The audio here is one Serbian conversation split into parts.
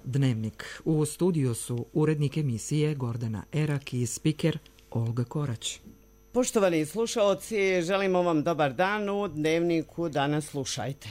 Dnevnik. U studiju su urednik emisije Gordana Erak i spiker Olga Korać. Poštovani slušaoci, želimo vam dobar dan. U Dnevniku danas slušajte.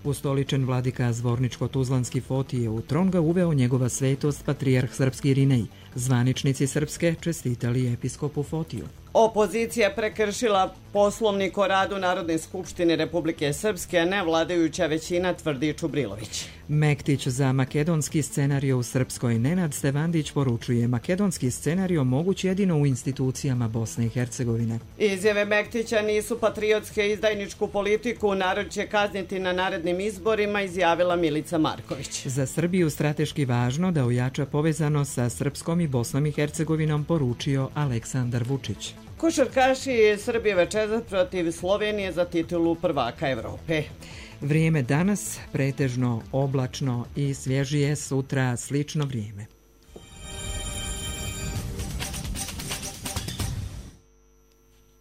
Ustoličen vladika Zvorničko-Tuzlanski Fotije u tron ga uveo njegova svetost patrijarh srpski Irinej. Zvaničnici Srpske čestitali episkopu Fotiju. Opozicija prekršila Poslovnik o radu Narodne skupštine Republike Srpske, a ne vladajuća većina, tvrdi Čubrilović. Mektić za makedonski scenario u Srpskoj. Nenad Stevandić poručuje: makedonski scenario moguć jedino u institucijama Bosne i Hercegovine. Izjave Mektića nisu patriotske, izdajničku politiku narod će kazniti na narednim izborima, izjavila Milica Marković. Za Srbiju strateški važno da ojača povezano sa Srpskom i Bosnom i Hercegovinom, poručio Aleksandar Vučić. Košarkaši Srbije večeras protiv Slovenije za titulu prvaka Evrope. Vrijeme danas pretežno oblačno i svježije, sutra slično vrijeme.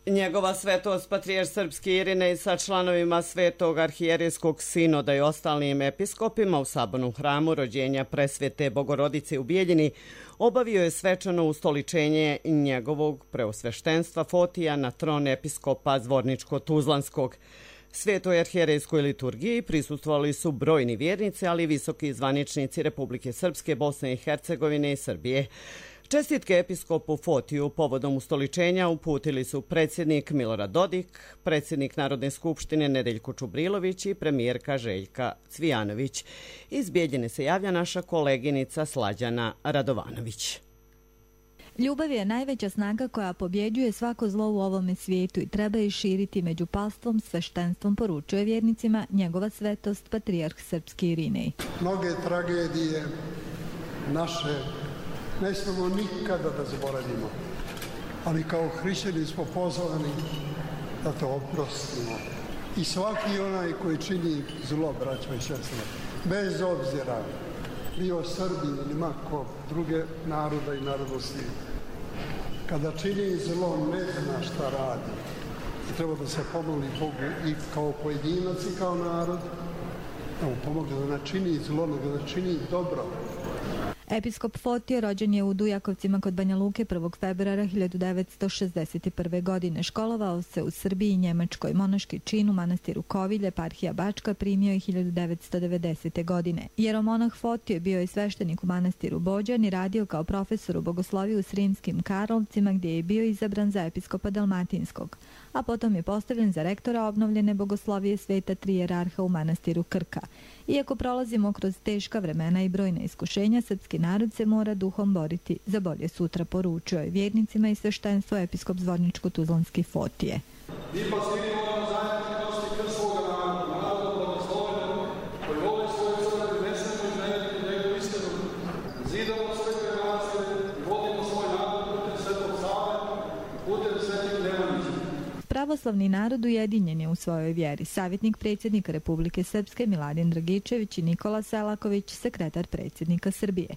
Njegova svetost patrijarh srpski Irinej sa članovima Svetog arhijerejskog sinoda i ostalim episkopima u Sabornom hramu rođenja presvete Bogorodice u Bijeljini obavio je svečano ustoličenje njegovog preosveštenstva Fotija na tron episkopa Zvorničko-Tuzlanskog. Svetoj arhijerejskoj liturgiji prisustvovali su brojni vjernici, ali i visoki zvaničnici Republike Srpske, Bosne i Hercegovine i Srbije. Čestitke episkopu Fotiju povodom ustoličenja uputili su predsjednik Milorad Dodik, predsjednik Narodne skupštine Nedeljko Čubrilović i premijerka Željka Cvijanović. Iz Bijeljine se javlja naša koleginica Slađana Radovanović. Ljubav je najveća snaga koja pobjeđuje svako zlo u ovome svijetu i treba je širiti među palstvom, sveštenstvom, poručuje vjernicima njegova svetost patrijarh srpski Irinej. Mnoge tragedije naše ne smemo nikada da zaboravimo, ali kao hrišćani smo pozvani da to oprostimo. I svaki onaj koji čini zlo, braćo i sestre, bez obzira bio Srbin ili mako druge naroda i narodnosti, kada čini zlo ne zna šta radi. I treba da se pomoli Bogu i kao pojedinac i kao narod, da mu pomogne da ne čini zlo, nego da čini dobro. Episkop Fotije rođen je u Dujakovcima kod Banja Luke 1. februara 1961. godine. Školovao se u Srbiji i Njemačkoj. Monaški čin u manastiru Kovilje, eparhija Bačka, primio je 1990. godine. Jeromonah Fotije bio je sveštenik u manastiru Bođan i radio kao profesor u bogosloviju u Sremskim Karlovcima, gdje je bio izabran za episkopa Dalmatinskog, a potom je postavljen za rektora obnovljene bogoslovije Sveta Tri jerarha u manastiru Krka. Iako prolazimo kroz teška vremena i brojna iskušenja, srpski narod se mora duhom boriti za bolje sutra, poručio je vjernicima i sveštenstvo episkop Zvorničko-Tuzlanski Fotije. Pravoslavni narod ujedinjen je u svojoj vjeri. Savjetnik predsjednika Republike Srpske Miladin Dragičević i Nikola Selaković, sekretar predsjednika Srbije.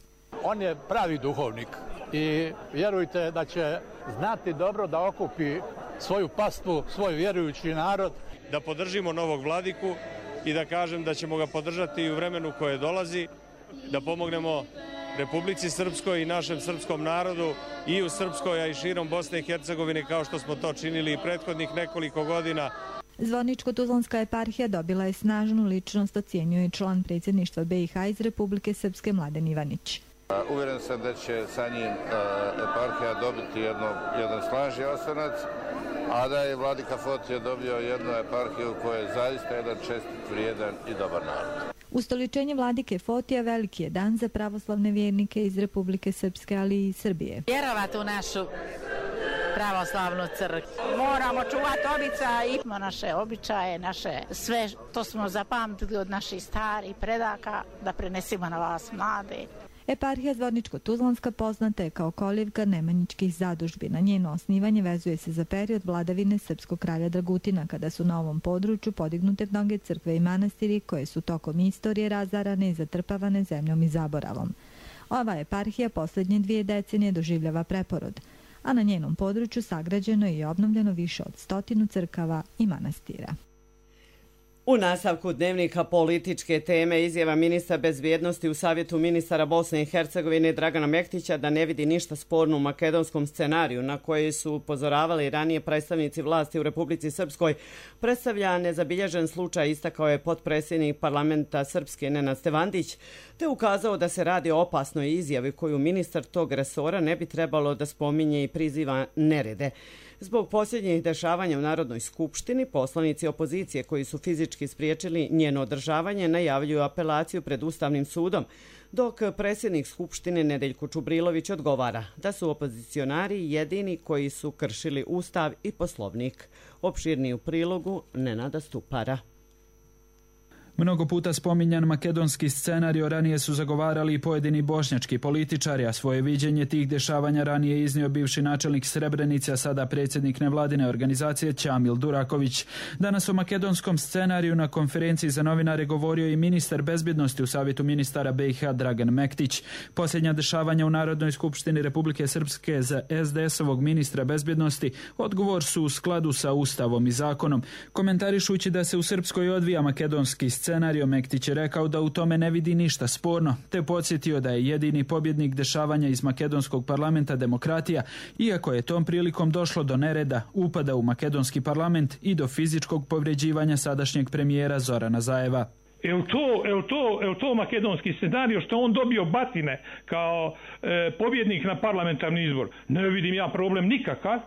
On je pravi duhovnik i vjerujte da će znati dobro da okupi svoju pastvu, svoj vjerujući narod. Da podržimo novog vladiku i da kažem da ćemo ga podržati i u vremenu koje dolazi, da pomognemo Republici Srpskoj i našem srpskom narodu i u Srpskoj, a i širom Bosne i Hercegovine, kao što smo to činili i prethodnih nekoliko godina. Zvorničko-Tuzlanska eparhija dobila je snažnu ličnost, ocjenjuje član predsjedništva BiH iz Republike Srpske Mladen Ivanić. Uvjeren sam da će sa njim eparhija dobiti jedan snažni osvrnac, a da je vladika Fotije dobio jednu eparhiju koja je zaista jedan čestit, vrijedan i dobar narod. Ustoličenje vladike Fotija veliki je dan za pravoslavne vjernike iz Republike Srpske, ali i Srbije. Vjerovati u našu pravoslavnu crkvu. Moramo čuvati običaje, naše običaje, naše sve to smo zapamtili od naših starih predaka, da prenesimo na vas mlade. Eparhija Zvorničko-Tuzlanska poznata je kao kolijevka nemanjičkih zadužbina. Njeno osnivanje vezuje se za period vladavine srpskog kralja Dragutina, kada su na ovom području podignute mnoge crkve i manastiri koje su tokom istorije razarane i zatrpavane zemljom i zaboravom. Ova eparhija posljednje 2 decenije doživljava preporod. a na njenom području sagrađeno je i obnovljeno više od 100 crkava i manastira. U nastavku dnevnika političke teme izjava ministra bezbjednosti u Savjetu ministara Bosne i Hercegovine Dragana Mektića da ne vidi ništa sporno u makedonskom scenariju na koji su upozoravali ranije predstavnici vlasti u Republici Srpskoj predstavlja nezabilježen slučaj, istakao je potpredsjednik parlamenta Srpske Nenad Stevandić, te ukazao da se radi o opasnoj izjavi koju ministar tog resora ne bi trebalo da spominje i priziva nerede. Zbog posljednjih dešavanja u Narodnoj skupštini, poslanici opozicije koji su fizički spriječili njeno održavanje najavljuju apelaciju pred Ustavnim sudom, dok predsjednik Skupštine Nedeljko Čubrilović odgovara da su opozicionari jedini koji su kršili Ustav i Poslovnik. Opširniji u prilogu Nenada Stupara. Mnogo puta spominjan makedonski scenario ranije su zagovarali i pojedini bošnjački političari, a svoje viđenje tih dešavanja ranije iznio bivši načelnik Srebrenice, a sada predsjednik nevladine organizacije Ćamil Duraković. Danas o makedonskom scenariju na konferenciji za novinare govorio i ministar bezbjednosti u Savjetu ministara BiH Dragan Mektić. Posljednja dešavanja u Narodnoj skupštini Republike Srpske za SDS-ovog ministra bezbjednosti odgovor su u skladu sa Ustavom i zakonom. Komentarišući da se u Srpskoj odvija makedonski scenario, Mektić je rekao da u tome ne vidi ništa sporno, te podsjetio da je jedini pobjednik dešavanja iz makedonskog parlamenta demokratija, iako je tom prilikom došlo do nereda, upada u makedonski parlament i do fizičkog povređivanja sadašnjeg premijera Zorana Zajeva. Je to makedonski scenario što on dobio batine kao pobjednik na parlamentarni izbor? Ne vidim ja problem nikakav.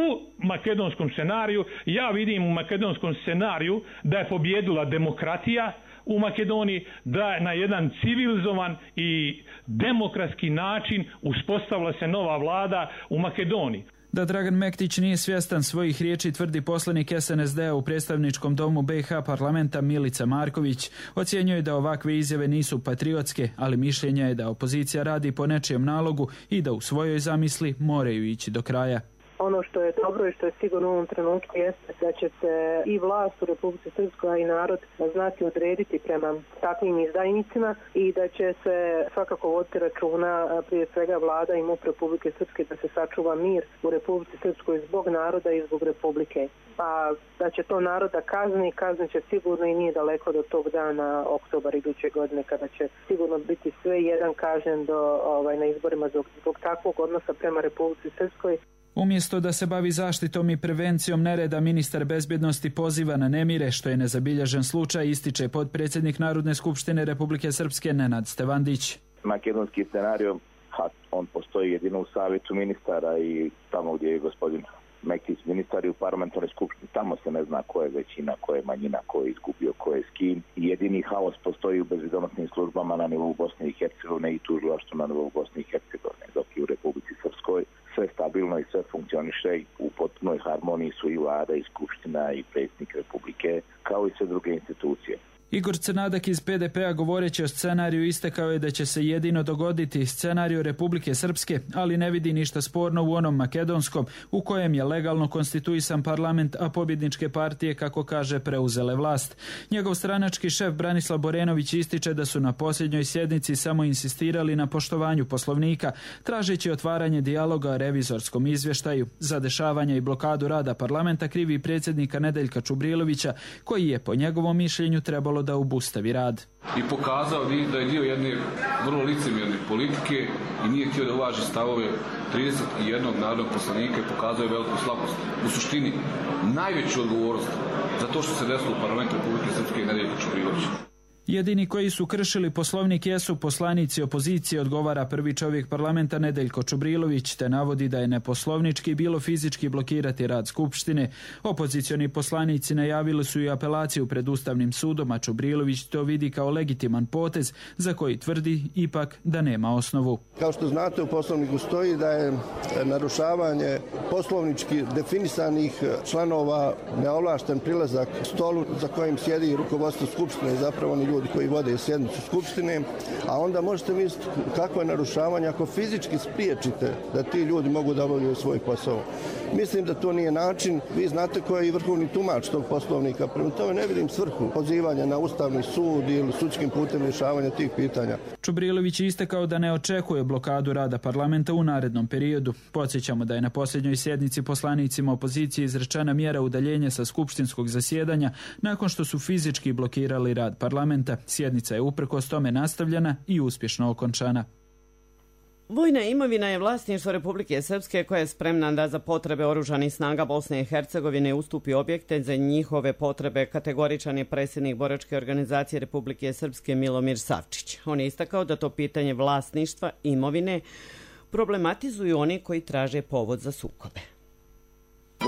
U makedonskom scenariju, ja vidim u makedonskom scenariju da je pobjedila demokratija u Makedoniji, da je na jedan civilizovan i demokratski način uspostavila se nova vlada u Makedoniji. Da Dragan Mektić nije svjestan svojih riječi tvrdi poslanik SNSD-a u predstavničkom domu BiH parlamenta Milica Marković. Ocjenjuje da ovakve izjave nisu patriotske, ali mišljenja je da opozicija radi po nečijem nalogu i da u svojoj zamisli moraju ići do kraja. Ono što je dobro i što je sigurno u ovom trenutku jeste da će se i vlast u Republici Srpskoj i narod znati odrediti prema takvim izdajnicima i da će se svakako voditi računa prije svega vlada i MUP Republike Srpske da se sačuva mir u Republici Srpskoj zbog naroda i zbog Republike. Pa da će to naroda kaznit će sigurno i nije daleko do tog dana, oktobar iduće godine, kada će sigurno biti sve jedan kažnjen na izborima zbog takvog odnosa prema Republici Srpskoj. Umjesto da se bavi zaštitom i prevencijom nereda, ministar bezbjednosti poziva na nemire, što je nezabilježen slučaj, ističe potpredsjednik Narodne skupštine Republike Srpske Nenad Stevandić. Makedonski scenario, on postoji jedino u Savjetu ministara i tamo gdje je gospodin Mektić ministar i u parlamentarnoj skupštini, tamo se ne zna ko je većina, ko je manjina, ko je izgubio, ko je s kim. Jedini haos postoji u bezbjednosnim službama na nivou Bosne i Hercegovine i tužilaštvu na nivou Bosne i Hercegovine, dok i u Republici Srpskoj sve stabilno i sve funkcioniše i u potpunoj harmoniji su i vlada i skupština i predsjednik Republike, kao i sve druge institucije. Igor Crnadak iz PDP-a govoreći o scenariju istakao je da će se jedino dogoditi scenariju Republike Srpske, ali ne vidi ništa sporno u onom makedonskom u kojem je legalno konstituisan parlament, a pobjedničke partije, kako kaže, preuzele vlast. Njegov stranački šef Branislav Borenović ističe da su na posljednjoj sjednici samo insistirali na poštovanju Poslovnika, tražeći otvaranje dijaloga o revizorskom izvještaju. Za dešavanje i blokadu rada parlamenta krivi predsjednika Nedeljka Čubrilovića, koji je po njegovom mišljenju trebalo da obustavi rad. I pokazao da je dio jedne vrlo licemjerne politike i nije htio da uvaži stavove 31 narodnog poslanika i pokazao je veliku slabost. U suštini, najveću odgovornost za to što se desilo u parlamentu Republike Srpske i Nedeljka Čubrilovića. Jedini koji su kršili Poslovnik jesu poslanici opozicije, odgovara prvi čovjek parlamenta Nedeljko Čubrilović, te navodi da je neposlovnički bilo fizički blokirati rad Skupštine. Opozicioni poslanici najavili su i apelaciju pred Ustavnim sudom, a Čubrilović to vidi kao legitiman potez za koji tvrdi ipak da nema osnovu. Kao što znate, u Poslovniku stoji da je narušavanje poslovnički definisanih članova neovlašten prilazak stolu za kojim sjedi rukovodstvo Skupštine, zapravo oni ljudi koji vode sjednicu Skupštine, a onda možete misliti kakvo je narušavanje ako fizički spriječite da ti ljudi mogu da obavljaju svoj posao. Mislim da to nije način. Vi znate ko je i vrhovni tumač tog poslovnika. Prema tome ne vidim svrhu pozivanja na Ustavni sud ili sudskim putem rješavanja tih pitanja. Čubrilović je istakao da ne očekuje blokadu rada parlamenta u narednom periodu. Podsjećamo da je na posljednjoj sjednici poslanicima opozicije izrečena mjera udaljenja sa skupštinskog zasjedanja nakon što su fizički blokirali rad parlamenta. Sjednica je uprkos tome nastavljena i uspješno okončana. Vojna imovina je vlasništvo Republike Srpske koja je spremna da za potrebe oružanih snaga Bosne i Hercegovine ustupi objekte za njihove potrebe, kategoričan je predsjednik boračke organizacije Republike Srpske Milomir Savčić. On je istakao da to pitanje vlasništva imovine problematizuju oni koji traže povod za sukobe.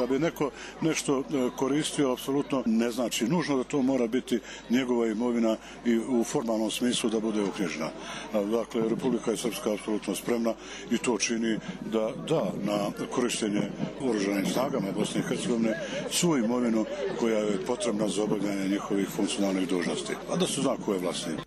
Da bi neko nešto koristio, apsolutno ne znači nužno da to mora biti njegova imovina i u formalnom smislu da bude uknjižena. Dakle, Republika Srpska je apsolutno spremna i to čini da da na korištenje oružanim snagama Bosne i Hercegovine svu imovinu koja je potrebna za obavljanje njihovih funkcionalnih dužnosti. A da su zna ko je vlasnik.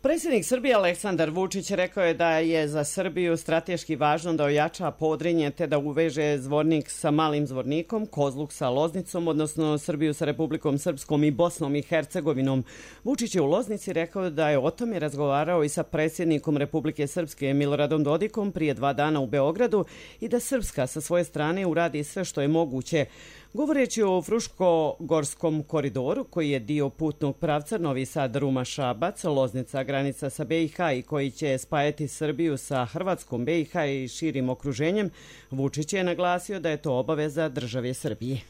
Predsjednik Srbije Aleksandar Vučić rekao je da je za Srbiju strateški važno da ojača Podrinje te da uveže Zvornik sa Malim Zvornikom, Kozluk sa Loznicom, odnosno Srbiju sa Republikom Srpskom i Bosnom i Hercegovinom. Vučić je u Loznici rekao da je o tome razgovarao i sa predsjednikom Republike Srpske Miloradom Dodikom prije 2 dana u Beogradu i da Srpska sa svoje strane uradi sve što je moguće. Govoreći o Fruškogorskom koridoru, koji je dio putnog pravca Novi Sad, Ruma, Šabac, Loznica, granica sa BiH i koji će spajati Srbiju sa Hrvatskom, BiH i širim okruženjem, Vučić je naglasio da je to obaveza države Srbije.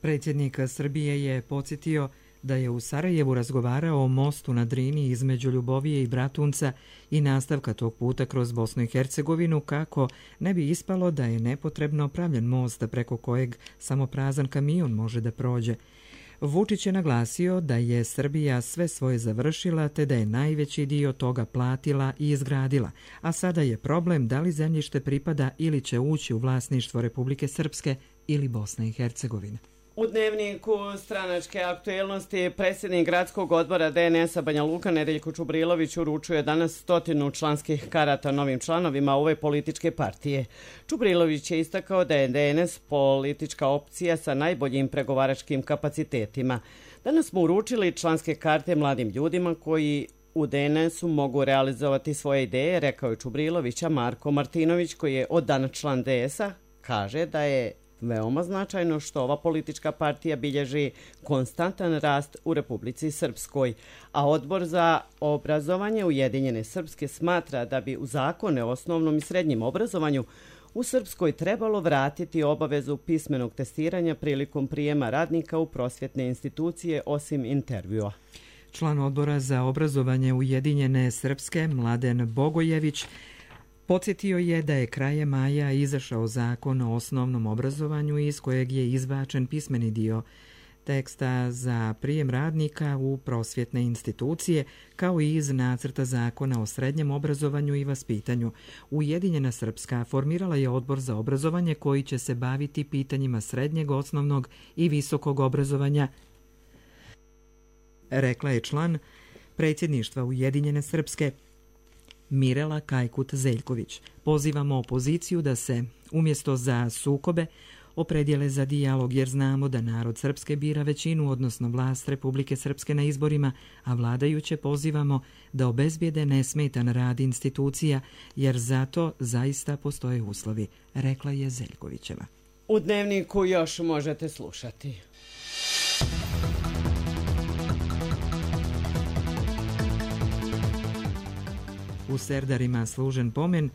Predsjednik Srbije je podsjetio da je u Sarajevu razgovarao o mostu na Drini između Ljubovije i Bratunca i nastavka tog puta kroz Bosnu i Hercegovinu kako ne bi ispalo da je nepotrebno pravljen most preko kojeg samo prazan kamion može da prođe. Vučić je naglasio da je Srbija sve svoje završila te da je najveći dio toga platila i izgradila, a sada je problem da li zemljište pripada ili će ući u vlasništvo Republike Srpske ili Bosne i Hercegovine. U dnevniku stranačke aktuelnosti predsjednik gradskog odbora DNS-a Banja Luka Nedeljko Čubrilović uručuje danas 100 članskih karata novim članovima ove političke partije. Čubrilović je istakao da je DNS politička opcija sa najboljim pregovaračkim kapacitetima. Danas smo uručili članske karte mladim ljudima koji u DNS-u mogu realizovati svoje ideje, rekao je Čubrilovića. Marko Martinović, koji je od dana član DS-a, kaže da je veoma značajno što ova politička partija bilježi konstantan rast u Republici Srpskoj, a Odbor za obrazovanje Ujedinjene Srpske smatra da bi u zakone o osnovnom i srednjem obrazovanju u Srpskoj trebalo vratiti obavezu pismenog testiranja prilikom prijema radnika u prosvjetne institucije osim intervjua. Član Odbora za obrazovanje Ujedinjene Srpske Mladen Bogojević podsjetio je da je krajem maja izašao zakon o osnovnom obrazovanju iz kojeg je izbačen pismeni dio teksta za prijem radnika u prosvjetne institucije, kao i iz nacrta zakona o srednjem obrazovanju i vaspitanju. Ujedinjena Srpska formirala je odbor za obrazovanje koji će se baviti pitanjima srednjeg, osnovnog i visokog obrazovanja, rekla je član predsjedništva Ujedinjene Srpske Mirela Kajkut-Zeljković. Pozivamo opoziciju da se, umjesto za sukobe, opredijele za dijalog jer znamo da narod Srpske bira većinu, odnosno vlast Republike Srpske na izborima, a vladajuće pozivamo da obezbijede nesmetan rad institucija jer zato zaista postoje uslovi, rekla je Zeljkovićeva. U dnevniku još možete slušati. U Serdarima služen pomen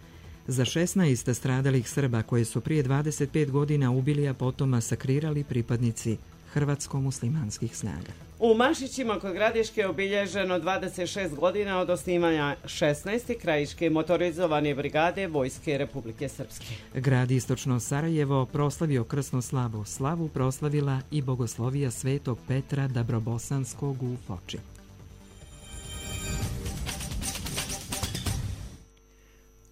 za 16 stradalih Srba koje su prije 25 godina ubili, a potom masakrirali pripadnici hrvatsko-muslimanskih snaga. U Mašićima kod Gradiške je obilježeno 26 godina od osnivanja 16. krajiške motorizovane brigade Vojske Republike Srpske. Grad Istočno Sarajevo proslavio krsnu slavu. Slavu proslavila i bogoslovija Svetog Petra Dabrobosanskog u Foči.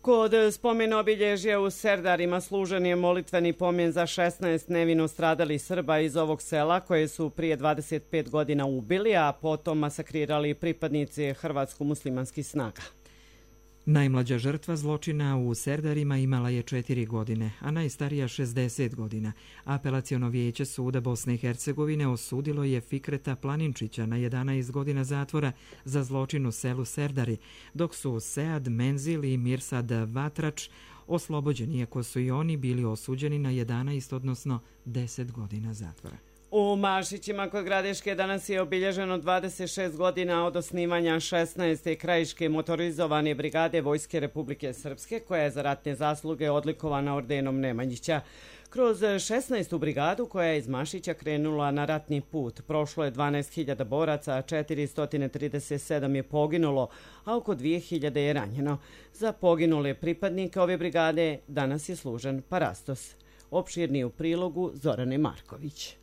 Kod spomena obilježja u Serdarima služen je molitveni pomen za 16 nevino stradalih Srba iz ovog sela koje su prije 25 godina ubili, a potom masakrirali pripadnici hrvatsko-muslimanskih snaga. Najmlađa žrtva zločina u Serdarima imala je 4 godine, a najstarija 60 godina. Apelaciono vijeće suda Bosne i Hercegovine osudilo je Fikreta Planinčića na 11 godina zatvora za zločin u selu Serdari, dok su Sead Menzil i Mirsad Vatrač oslobođeni, iako su i oni bili osuđeni na 11, odnosno 10 godina zatvora. U Mašićima kod Gradiške danas je obilježeno 26 godina od osnivanja 16. krajiške motorizovane brigade Vojske Republike Srpske, koja je za ratne zasluge odlikovana ordenom Nemanjića. Kroz 16. brigadu koja je iz Mašića krenula na ratni put, prošlo je 12.000 boraca, a 437 je poginulo, a oko 2.000 je ranjeno. Za poginule pripadnike ove brigade danas je služen parastos. Opširniji u prilogu Zorane Marković.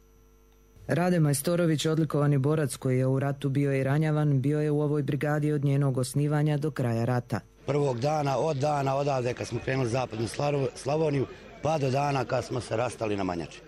Rade Majstorović, odlikovani borac koji je u ratu bio i ranjavan, bio je u ovoj brigadi od njenog osnivanja do kraja rata. Prvog dana odavde kad smo krenuli zapadnu Slavoniju, pa do dana kad smo se rastali na Manjači.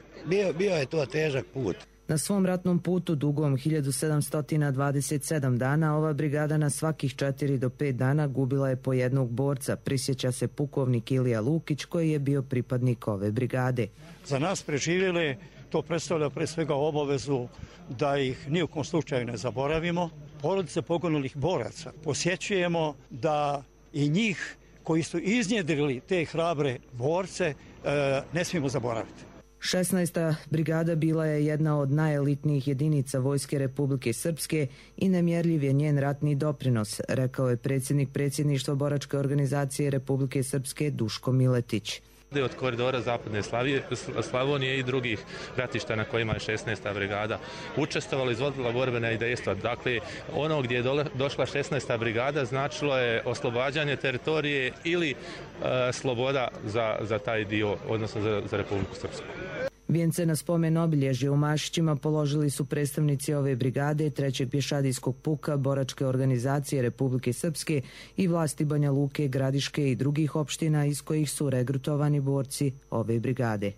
Bio je to težak put. Na svom ratnom putu dugom 1727 dana ova brigada na svakih 4 do 5 dana gubila je po jednog borca, prisjeća se pukovnik Ilija Lukić koji je bio pripadnik ove brigade. Za nas preživjeli to predstavlja pre svega obavezu da ih ni u kom slučaju ne zaboravimo. Porodice poginulih boraca posjećujemo da i njih koji su iznjedrili te hrabre borce ne smijemo zaboraviti. 16. brigada bila je jedna od najelitnijih jedinica Vojske Republike Srpske i nemjerljiv je njen ratni doprinos, rekao je predsjednik predsjedništva boračke organizacije Republike Srpske Duško Miletić. Od koridora Zapadne Slavonije i drugih ratišta na kojima je 16. brigada učestvovala, izvodila borbena dejstva. Dakle, ono gdje je došla 16. brigada značilo je oslobađanje teritorije ili sloboda za taj dio, odnosno za Republiku Srpsku. Vijence na spomen obilježje u Mašićima položili su predstavnici ove brigade, 3. pješadijskog puka, boračke organizacije Republike Srpske i vlasti Banja Luke, Gradiške i drugih opština iz kojih su regrutovani borci ove brigade.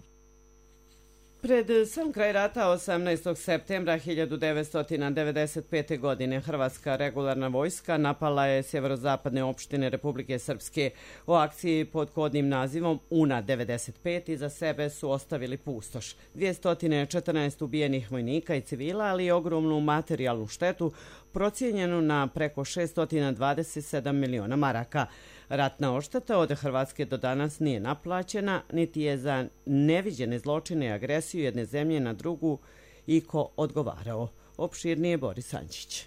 Pred sam kraj rata 18. septembra 1995. godine Hrvatska regularna vojska napala je sjeverozapadne opštine Republike Srpske. U akciji pod kodnim nazivom UNA 95 iza sebe su ostavili pustoš. 214 ubijenih vojnika i civila, ali i ogromnu materijalnu štetu procijenjenu na preko 627 miliona maraka. Ratna odšteta od Hrvatske do danas nije naplaćena, niti je za neviđene zločine i agresiju jedne zemlje na drugu iko odgovarao. Opširnije Boris Ančić.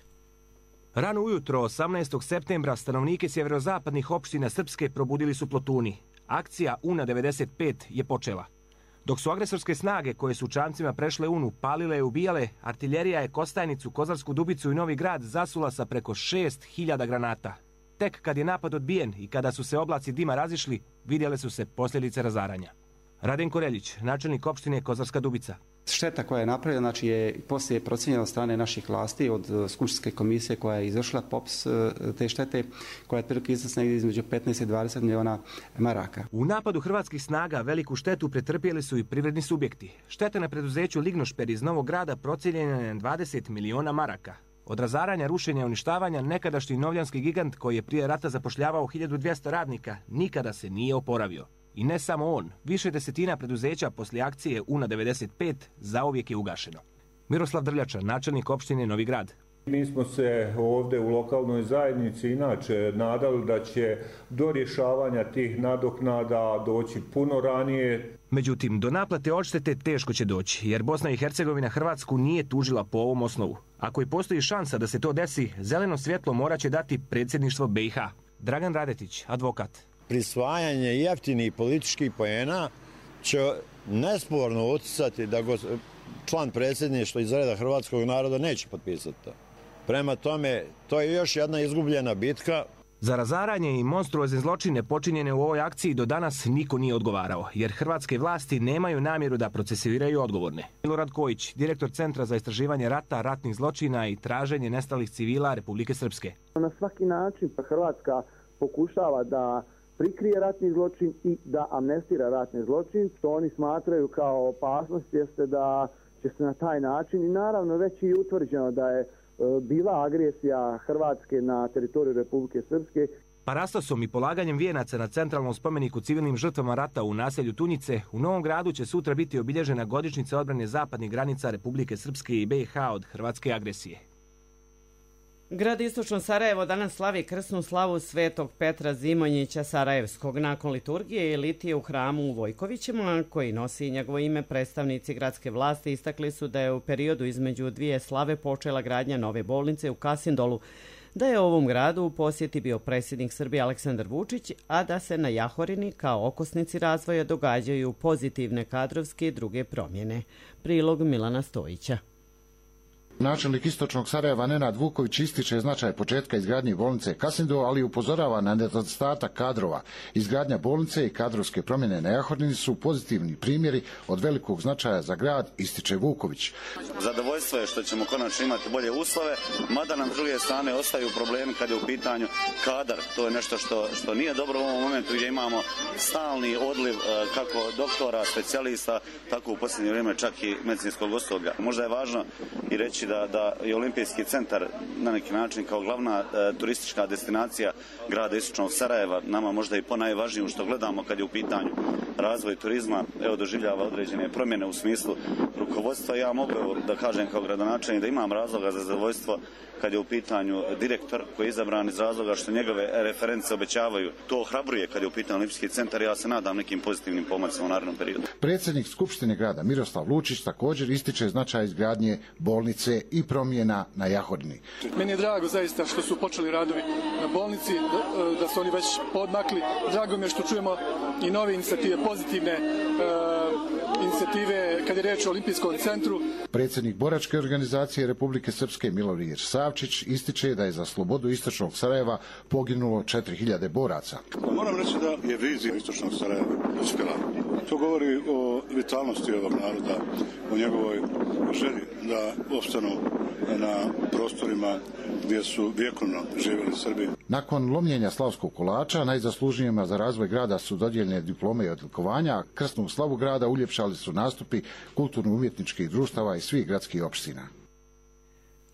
Rano ujutro 18. septembra stanovnike sjeverozapadnih opština Srpske probudili su plotuni. Akcija UNA 95 je počela. Dok su agresorske snage koje su čamcima prešle UNU palile i ubijale, artiljerija je Kostajnicu, Kozarsku Dubicu i Novi Grad zasula sa preko 6.000 granata. Tek kad je napad odbijen i kada su se oblaci dima razišli, vidjele su se posljedice razaranja. Radenko Reljić, načelnik opštine Kozarska Dubica. Šteta koja je napravljena, znači je poslije procijenjena od strane naših vlasti, od skupštinske komisije koja je izvršila popis te štete, koja je otprilike iznosila između 15 i 20 miliona maraka. U napadu hrvatskih snaga veliku štetu pretrpjeli su i privredni subjekti. Šteta na preduzeću Lignošper iz Novog Grada procijenjena je na 20 miliona maraka. Od razaranja, rušenja i uništavanja nekadašnji novljanski gigant koji je prije rata zapošljavao 1200 radnika nikada se nije oporavio. I ne samo on, više desetina preduzeća poslije akcije UNA 95 zauvijek je ugašeno. Miroslav Drljača, načelnik opštine Novi Grad. Mi smo se ovdje u lokalnoj zajednici inače nadali da će do rješavanja tih nadoknada doći puno ranije. Međutim, do naplate odštete teško će doći, jer Bosna i Hercegovina Hrvatsku nije tužila po ovom osnovu. Ako i postoji šansa da se to desi, zeleno svjetlo morat će dati predsjedništvo BiH. Dragan Radetić, advokat. Prisvajanje jeftinih političkih poena će nesporno utjecati da član predsjedništva iz reda hrvatskog naroda neće potpisati to. Prema tome, to je još jedna izgubljena bitka. Za razaranje i monstruozne zločine počinjene u ovoj akciji do danas niko nije odgovarao, jer hrvatske vlasti nemaju namjeru da procesuiraju odgovorne. Milorad Kojić, direktor Centra za istraživanje rata, ratnih zločina i traženje nestalih civila Republike Srpske. Na svaki način Hrvatska pokušava da prikrije ratni zločin i da amnestira ratni zločin, što oni smatraju kao opasnost jeste da će se na taj način i naravno već i utvrđeno da je bila agresija Hrvatske na teritoriju Republike Srpske. Parastosom i polaganjem vijenaca na centralnom spomeniku civilnim žrtvama rata u naselju Tunjice, u Novom Gradu će sutra biti obilježena godišnjica odbrane zapadnih granica Republike Srpske i BiH od hrvatske agresije. Grad Istočno Sarajevo danas slavi krsnu slavu Svetog Petra Zimonjića Sarajevskog. Nakon liturgije i litije u hramu u Vojkovićima, koji nosi njegovo ime, predstavnici gradske vlasti istakli su da je u periodu između dvije slave počela gradnja nove bolnice u Kasindolu, da je ovom gradu u posjeti bio predsjednik Srbije Aleksandar Vučić, a da se na Jahorini kao okosnici razvoja događaju pozitivne kadrovske i druge promjene. Prilog Milana Stojića. Načelnik Istočnog Sarajeva Nenad Vuković ističe značaj početka izgradnje bolnice Kasindol, ali upozorava na nedostatak kadrova. Izgradnja bolnice i kadrovske promjene na Jahorini su pozitivni primjeri od velikog značaja za grad, ističe Vuković. Zadovoljstvo je što ćemo konačno imati bolje uslove, mada nam s druge strane ostaju problemi kad je u pitanju kadar. To je nešto što nije dobro u ovom momentu gdje imamo stalni odliv kako doktora, specijalista, tako u posljednje vrijeme čak i medicinskog osoblja. Možda je važno i reći da je Olimpijski centar na neki način kao glavna turistička destinacija grada Istočnog Sarajeva, nama možda i ponajvažniju što gledamo kad je u pitanju razvoj turizma, doživljava određene promjene u smislu rukovodstva. Ja mogu da kažem kao gradonačelnik da imam razloga za zadovoljstvo kad je u pitanju direktor koji je izabran iz razloga što njegove reference obećavaju. To ohrabruje kad je u pitanju Olimpijski centar. Ja se nadam nekim pozitivnim pomacima u narednom periodu. Predsjednik Skupštine grada Miroslav Lučić također ističe značaj izgradnje bolnice i promjena na Jahorini. Meni je drago zaista što su počeli radovi na bolnici, da su oni već podmakli. Drago mi je što čujemo i nove inicijative, pozitivne inicijative kad je reč o Olimpijskom centru. Predsjednik boračke organizacije Republike Srpske Milorije Savčić ističe da je za slobodu Istočnog Sarajeva poginulo 4000 boraca. Moram reći da je vizija Istočnog Sarajeva uspjela. To govori o vitalnosti ovog naroda, o njegovoj želji da opstanu na prostorima gdje su vjekovno živjeli Srbi. Nakon lomljenja slavskog kolača, najzaslužnijima za razvoj grada su dodijeljene diplome i odlikovanja, krsnu slavu grada uljepšali su nastupi kulturno-umjetničkih društava i svih gradskih opština.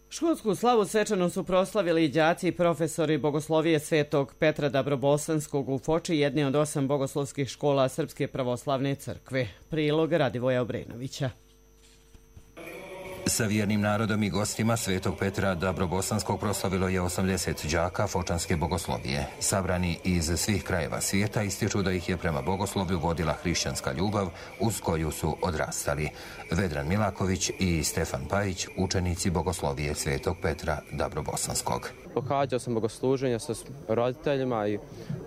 Školsku slavu svečano su proslavili i đaci i profesori bogoslovije Svetog Petra Dabrobosanskog u Foči, jedne od 8 bogoslovskih škola Srpske pravoslavne crkve. Prilog Radivoja Obrenovića. Sa vjernim narodom i gostima Svetog Petra Dabrobosanskog proslavilo je 80 đaka fočanske bogoslovije. Sabrani iz svih krajeva svijeta ističu da ih je prema bogoslovlju vodila hrišćanska ljubav uz koju su odrastali. Vedran Milaković i Stefan Pajić, učenici bogoslovije Svetog Petra Dabrobosanskog. Pohađao sam bogosluženja sa roditeljima i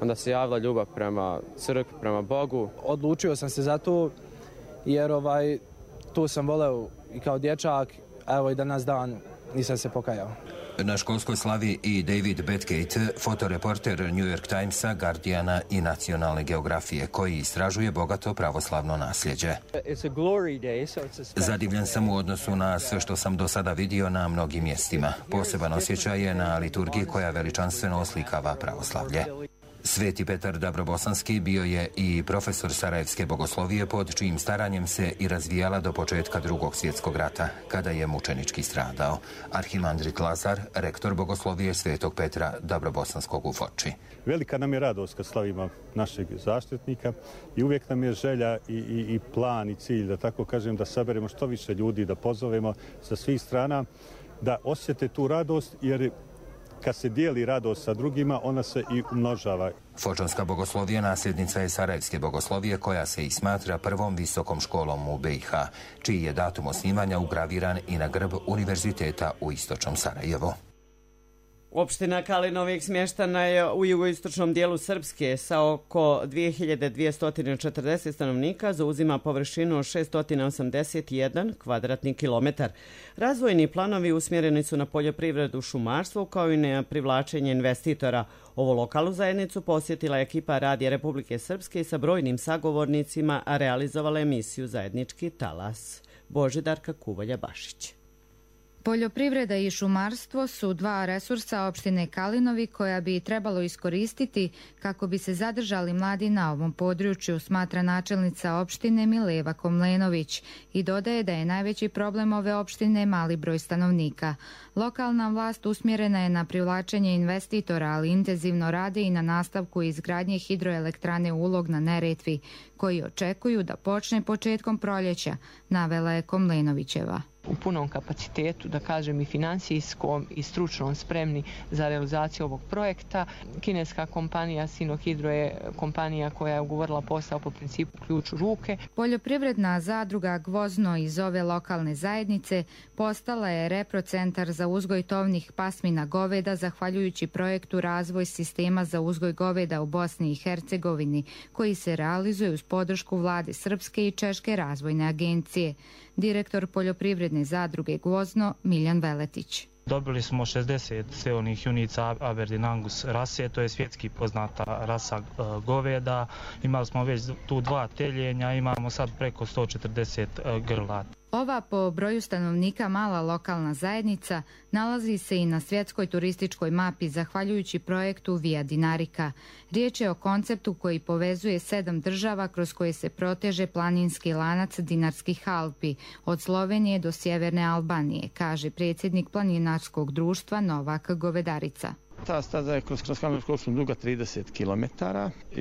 onda se javila ljubav prema crkvi, prema Bogu. Odlučio sam se za to jer tu sam voleo i kao dječak, evo i danas dan nisam se pokajao. Na školskoj slavi i David Bedgate, fotoreporter New York Timesa, Guardiana i Nacionalne geografije, koji istražuje bogato pravoslavno nasljeđe. Zadivljen sam u odnosu na sve što sam do sada vidio na mnogim mjestima. Poseban osjećaj je na liturgiji koja veličanstveno oslikava pravoslavlje. Sveti Petar Dabrobosanski bio je i profesor sarajevske bogoslovije pod čijim staranjem se i razvijala do početka Drugog svjetskog rata, kada je mučenički stradao. Arhimandrit Lazar, rektor bogoslovije Svetog Petra Dabrobosanskog u Foči. Velika nam je radost kad slavimo našeg zaštitnika i uvijek nam je želja i plan i cilj, da tako kažem, da saberemo što više ljudi, da pozovemo sa svih strana, da osjete tu radost, jer kad se dijeli radost sa drugima, ona se i umnožava. Fočanska bogoslovija nasljednica je sarajevske bogoslovije, koja se i smatra prvom visokom školom u BiH, čiji je datum osnivanja ugraviran i na grb Univerziteta u Istočnom Sarajevu. Opština Kalinovik smještana je u jugoistočnom dijelu Srpske sa oko 2240 stanovnika, zauzima površinu 681 kvadratni kilometar. Razvojni planovi usmjereni su na poljoprivredu, šumarstvo kao i na privlačenje investitora. Ovu lokalnu zajednicu posjetila je ekipa Radija Republike Srpske i sa brojnim sagovornicima realizovala emisiju Zajednički talas. Božidarka Kuvolja Bašić. Poljoprivreda i šumarstvo su dva resursa opštine Kalinovi koja bi trebalo iskoristiti kako bi se zadržali mladi na ovom području, smatra načelnica opštine Mileva Komlenović i dodaje da je najveći problem ove opštine mali broj stanovnika. Lokalna vlast usmjerena je na privlačenje investitora, ali intenzivno rade i na nastavku izgradnje hidroelektrane Ulog na Neretvi, koji očekuju da počne početkom proljeća, navela je Komlenovićeva. U punom kapacitetu, da kažem i finansijskom i stručnom spremni za realizaciju ovog projekta. Kineska kompanija Sinohydro je kompanija koja je ugovorila posao po principu ključ u ruke. Poljoprivredna zadruga Gvozno iz ove lokalne zajednice postala je reprocentar za uzgoj tovnih pasmina goveda zahvaljujući projektu Razvoj sistema za uzgoj goveda u Bosni i Hercegovini, koji se realizuje uz podršku vlade Srpske i Češke razvojne agencije. Direktor poljoprivredne zadruge Gvozno Miljan Veletić. Dobili smo 60 steonih junica Aberdeen Angus rase, to je svjetski poznata rasa goveda. Imali smo već tu 2 teljenja, imamo sad preko 140 grla. Ova po broju stanovnika mala lokalna zajednica nalazi se i na svjetskoj turističkoj mapi zahvaljujući projektu Via Dinarica. Riječ je o konceptu koji povezuje 7 država kroz koje se proteže planinski lanac Dinarskih Alpi, od Slovenije do sjeverne Albanije, kaže predsjednik planinarskog društva Novak Govedarica. Ta staza je kroz Kalinovsku opštinu duga 30 km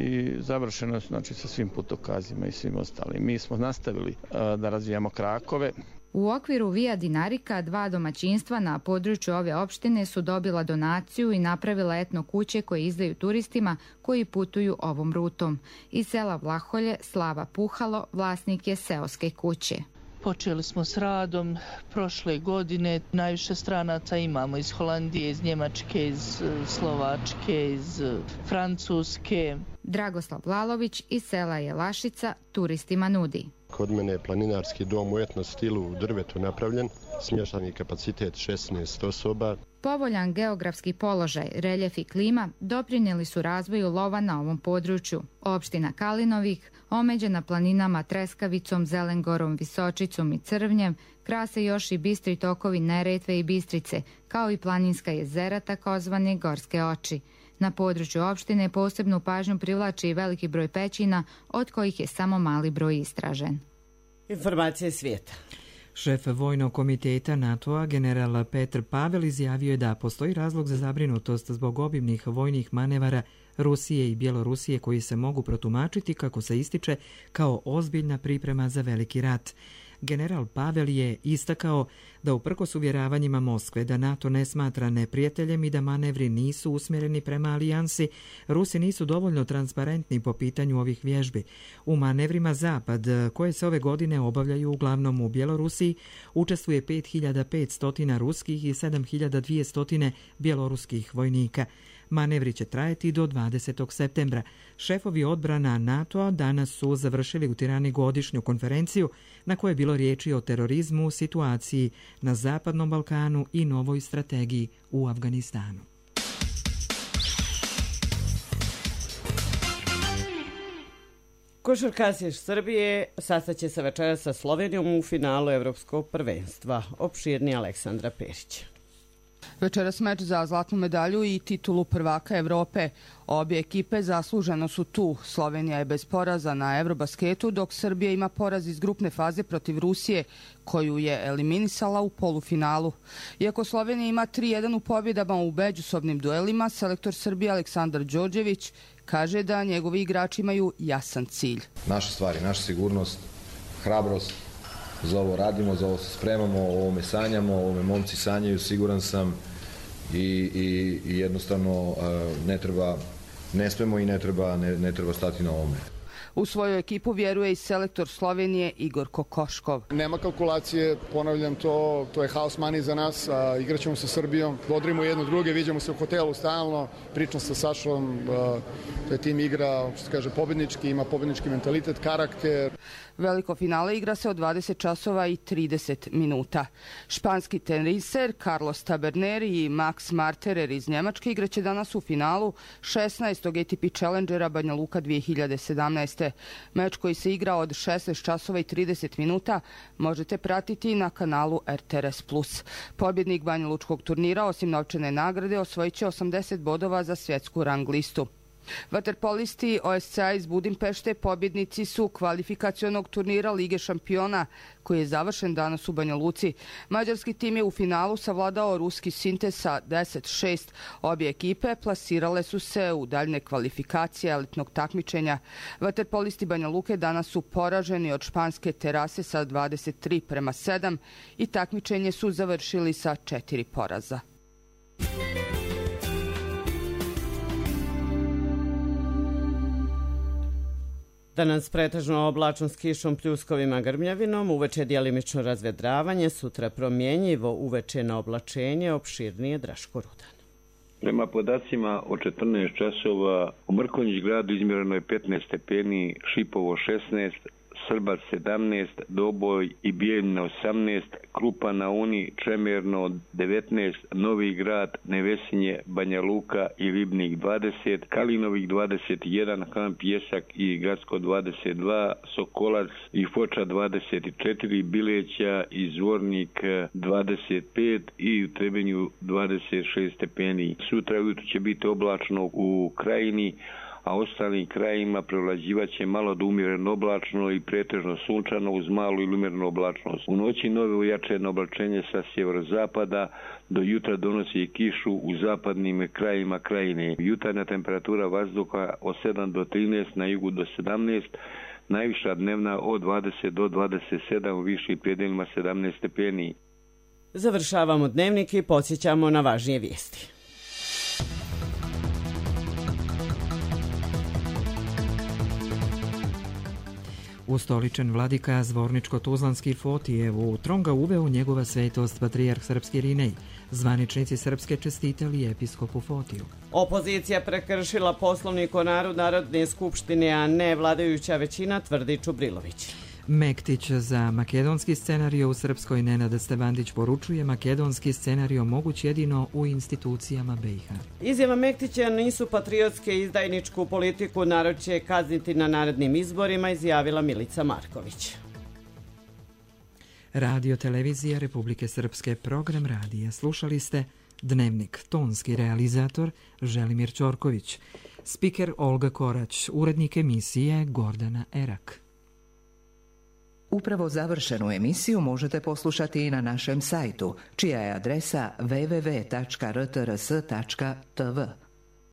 i završena znači sa svim putokazima i svim ostalim. Mi smo nastavili da razvijamo krakove. U okviru Via Dinarica 2 domaćinstva na području ove opštine su dobila donaciju i napravila etno kuće koje izdaju turistima koji putuju ovom rutom. Iz sela Vlaholje Slava Puhalo vlasnik je seoske kuće. Počeli smo s radom prošle godine. Najviše stranaca imamo iz Holandije, iz Njemačke, iz Slovačke, iz Francuske. Dragoslav Lalović iz sela Jelašica turistima nudi. Kod mene je planinarski dom u etno stilu u drvetu napravljen, smještajni kapacitet 16 osoba. Povoljan geografski položaj, reljef i klima doprinijeli su razvoju lova na ovom području. Opština Kalinovik, omeđena planinama Treskavicom, Zelengorom, Visočicom i Crvnjem, krase još i bistri tokovi Neretve i Bistrice, kao i planinska jezera takozvane Gorske oči. Na području opštine posebnu pažnju privlači i veliki broj pećina, od kojih je samo mali broj istražen. Informacije svijeta. Šef Vojnog komiteta NATO-a, general Petr Pavel, izjavio je da postoji razlog za zabrinutost zbog obimnih vojnih manevara Rusije i Bjelorusije koji se mogu protumačiti, kako se ističe, kao ozbiljna priprema za veliki rat. General Pavel je istakao da uprkos uvjeravanjima Moskve da NATO ne smatra neprijateljem i da manevri nisu usmjereni prema alijansi, Rusi nisu dovoljno transparentni po pitanju ovih vježbi. U manevrima Zapad, koje se ove godine obavljaju uglavnom u Bjelorusiji, učestvuje 5500 ruskih i 7200 bjeloruskih vojnika. Manevri će trajati do 20. septembra. Šefovi odbrana NATO-a danas su završili u Tirani godišnju konferenciju na kojoj je bilo riječi o terorizmu, situaciji na Zapadnom Balkanu i novoj strategiji u Afganistanu. Košarkaši Srbije sastaće se večeras sa Slovenijom u finalu Evropskog prvenstva. Opširni Aleksandra Perić. Večeras meč za zlatnu medalju i titulu prvaka Evrope. Obje ekipe zasluženo su tu. Slovenija je bez poraza na Eurobasketu, dok Srbija ima poraz iz grupne faze protiv Rusije, koju je eliminisala u polufinalu. Iako Slovenija ima 3-1 u pobjedama u međusobnim duelima, selektor Srbije Aleksandar Đorđević kaže da njegovi igrači imaju jasan cilj. Naše stvari, naša sigurnost, hrabrost, za ovo radimo, za ovo se spremamo, o ovome sanjamo, o ovome momci sanjaju, siguran sam i jednostavno ne smemo i ne treba stati na ovome. U svoju ekipu vjeruje i selektor Slovenije Igor Kokoškov. Nema kalkulacije, ponavljam to je house money za nas, igraćemo sa Srbijom, bodrimo jedno druge, viđamo se u hotelu stalno, pričam sa Sašom, to je tim igra, što se kaže, pobjednički, ima pobjednički mentalitet, karakter. Veliko finale igra se od 20 časova i 30 minuta. Španski teniser Carlos Taberner i Max Marterer iz Njemačke igraće danas u finalu 16. ATP Challengera Banja Luka 2017. Meč koji se igra od 16 časova i 30 minuta možete pratiti na kanalu RTRS+. Pobjednik Banja Lučkog turnira, osim novčane nagrade, osvojit će 80 bodova za svjetsku rang listu. Vaterpolisti OSCA iz Budimpešte pobjednici su kvalifikacionog turnira Lige šampiona koji je završen danas u Banja Luci. Mađarski tim je u finalu savladao ruski Sintez sa 10-6. Obje ekipe plasirale su se u daljne kvalifikacije elitnog takmičenja. Vaterpolisti Banja Luke danas su poraženi od španske Terase sa 23-7 i takmičenje su završili sa 4 poraza. Danas pretežno oblačno s kišom, pljuskovima, grmljavinom, uveče djelimično razvedravanje, sutra promjenjivo, uveče na oblačenje, opširnije. Draško Rudan. Prema podacima od 14 časova u Mrkonjić gradu izmjereno je 15 stepeni, Šipovo 16, Srbac 17, Doboj i Bijeljina 18, Krupa na Uni, Čemerno 19, Novi Grad, Nevesinje, Banja Luka i Ribnik 20, Kalinovik 21, Han Pjesak i Gradsko 22, Sokolac i Foča 24, Bileća i Zvornik 25 i u Trebenju 26 stepeni. Sutra ujutro će biti oblačno u Krajini, a ostalim krajima prevlađivat će malo do umjereno oblačno i pretežno sunčano uz malu ili umjerenu oblačnost. U noći nove ujačeno oblačenje sa sjeverozapada, do jutra donosi i kišu u zapadnim krajima krajine. Jutarnja temperatura vazduha od 7 do 13, na jugu do 17, najviša dnevna od 20 do 27, u višim predelima 17 stepeni. Završavamo dnevnik i podsjećamo na važnije vijesti. Ustoličen vladika Zvorničko-Tuzlanski Fotijev u Tronga uveo njegova svetost patrijarh srpski Irinej. Zvaničnici srpske čestitali episkopu Fotiju. Opozicija prekršila poslovnik o Narodne skupštine, a ne vladajuća većina, tvrdi Čubrilović. Mektić za makedonski scenario u Srpskoj. Nenad Stevandić poručuje makedonski scenario moguć jedino u institucijama BiH. Izjava Mektića nisu patriotske, izdajničku politiku narod će kazniti na narednim izborima, izjavila Milica Marković. Radio televizija Republike Srpske, program radija. Slušali ste Dnevnik, tonski realizator Želimir Ćorković, spiker Olga Korać, urednik emisije Gordana Erak. Upravo završenu emisiju možete poslušati i na našem sajtu, čija je adresa www.rtrs.tv.